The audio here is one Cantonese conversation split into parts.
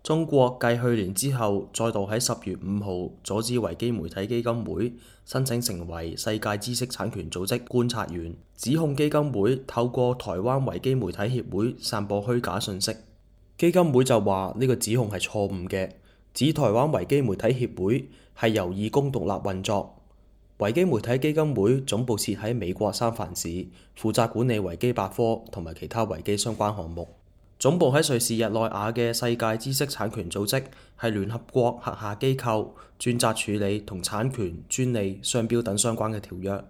中國繼去年之後，再度喺10月5號阻止維基媒體基金會申請成為世界知識產權組織觀察員，指控基金會透過台灣維基媒體協會散播虛假信息。基金會就話呢個指控係錯誤嘅，指台灣維基媒體協會係由義工獨立運作。維基媒體基金會總部設喺美國三藩市，負責管理維基百科同埋其他維基相關項目。總部喺瑞士日內瓦嘅世界知識產權組織係聯合國轄下機構，專責處理同產權、專利、商標等相關嘅條約。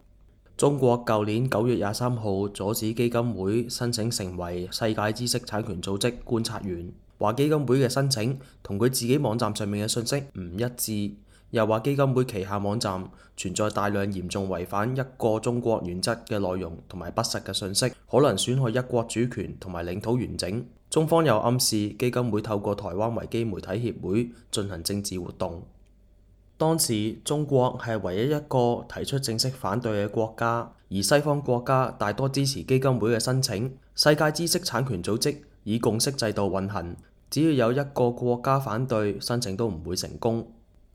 中國舊年9月23號阻止基金會申請成為世界知識產權組織觀察員，話基金會嘅申請同佢自己網站上面嘅信息唔一致，又話基金會旗下網站存在大量嚴重違反一個中國原則嘅內容同埋不實嘅信息，可能損害一國主權同埋領土完整。中方又暗示基金會透過台灣維基媒體協會進行政治活動。當時中國係唯一一個提出正式反對嘅國家，而西方國家大多支持基金會嘅申請。世界知識產權組織以共識制度運行，只要有一個國家反對，申請都唔會成功。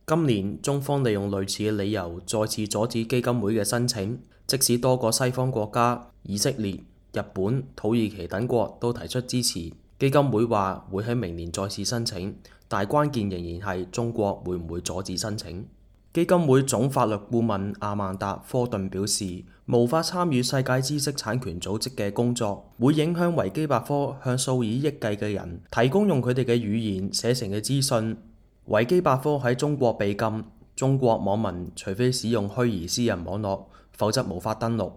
今年中方利用類似嘅理由再次阻止基金會嘅申請，即使多個西方國家以色列、日本、土耳其等國都提出支持。基金會話會喺明年再次申請，但關鍵仍然係中國會唔會阻止申請。基金會總法律顧問阿曼達·科頓表示，無法參與世界知識產權組織嘅工作，會影響維基百科向數以億計嘅人提供用佢哋嘅語言寫成嘅資訊。維基百科喺中國被禁，中國網民除非使用虛擬私人網絡，否則無法登錄。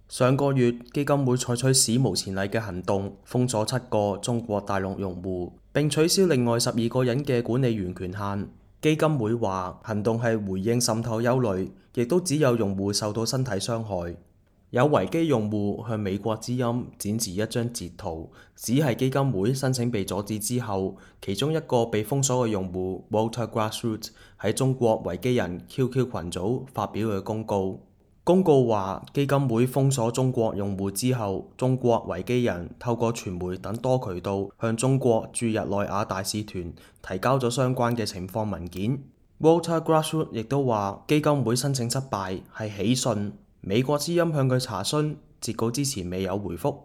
上個月，基金會採取史無前例嘅行動，封鎖7個中國大陸用戶，並取消另外12個人嘅管理員權限。基金會話行動係回應滲透憂慮，亦都只有用戶受到身體傷害。有維基用戶向美國之音展示一張截圖，只係基金會申請被阻止之後，其中一個被封鎖嘅用戶 Walter Grassroot 喺中國維基人 QQ 群組發表嘅公告。公告話，基金會封鎖中國用戶之後，中國維基人透過傳媒等多渠道向中國駐日內瓦大使團提交咗相關嘅情況文件。Walter Grassroot 亦都話，基金會申請失敗係喜訊。美國之音向佢查詢，截稿之前未有回覆。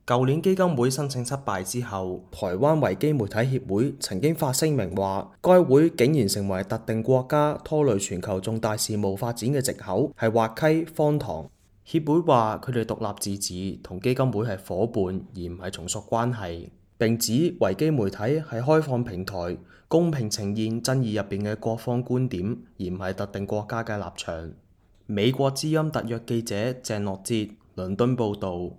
舊年基金會申請失敗之後，台灣維基媒體協會曾經發聲明話，該會竟然成為特定國家拖累全球重大事務發展嘅藉口，係滑稽荒唐。協會話佢哋獨立自治，同基金會係夥伴，而唔係從屬關係。並指維基媒體係開放平台，公平呈現爭議入邊嘅各方觀點，而唔係特定國家嘅立場。美國之音特約記者鄭樂哲倫敦報導。